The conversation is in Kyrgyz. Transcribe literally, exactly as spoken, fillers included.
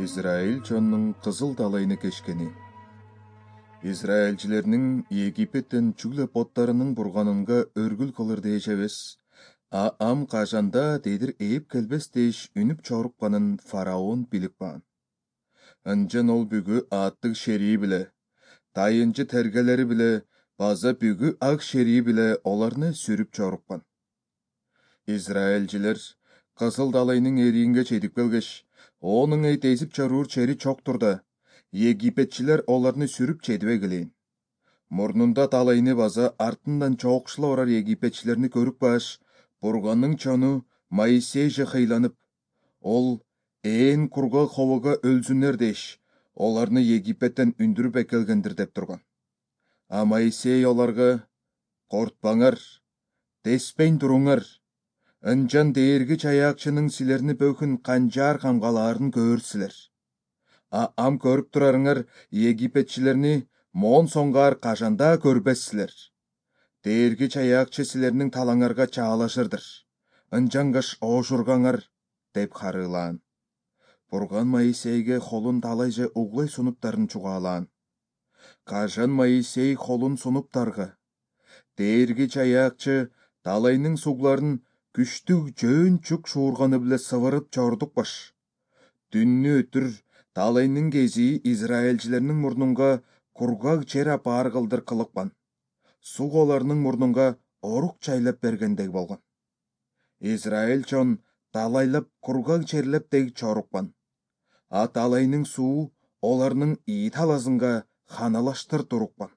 Израиль чоннун кызыл далайны кешкени. Израильчилердин Египеттен чүглө боттарынын бурганынга өргүл кылыр дээш эбес, а ам кажанда дедир ээп келбес дээш үнүп чорукканын фараон билип калган. Анчан ол бүгү ааттык шерии биле, тайынчы тергелери биле, база бүгү ак шерии биле оларны сүрүп чоруккан. Израильчилер кызыл далайнын эриинге жетип келгеш, онун эйт эзип чаруур чери чоктур да, Египетчилер оларны сүрүп жетибей келейин. Мурнунда далайны база артынан чоокшула барар египетчилерни көрүп калыш, бурганның чону Моисей же кыйланып, ол ээн кургак хобого өлсүнөр деш, оларны Египеттен үндүрүп экелгендир деп турган. А Моисей оларга: "Кортпаңар, теспейн туруңар. Анчан дээрги чаяакчынын силерни бөкүн канчаар камгалаарын көрсүлөр. А ам көрүп турарыңар Египетчилерни моон соңгаар кажанда көрбессилер. Дээрги чаяакчы силернин талаңарга чаалашырдыр. Анчангаш оошургаңар" деп харыылаан. Бурган Моисейге холун талайже углай сунуптарын чугаалаан. Кажан Моисей холун сунуптарга: "Дээрги чаяакчы далайнын сугларын күчтүү жөөн чук шуурганы биле сывырып чордукпаш. Дүннү өтүр далайнын кези Израильчилердин мурнунга кургак жер апаар кылдыр кылыкпан. Суг оларнын мурнунга орук чайлап бергендей болгон. Израиль чон далайлап кургак жерлеп дег чорукпан. А далайнын суу оларнын ии таласынга ханалаштыр турукпан.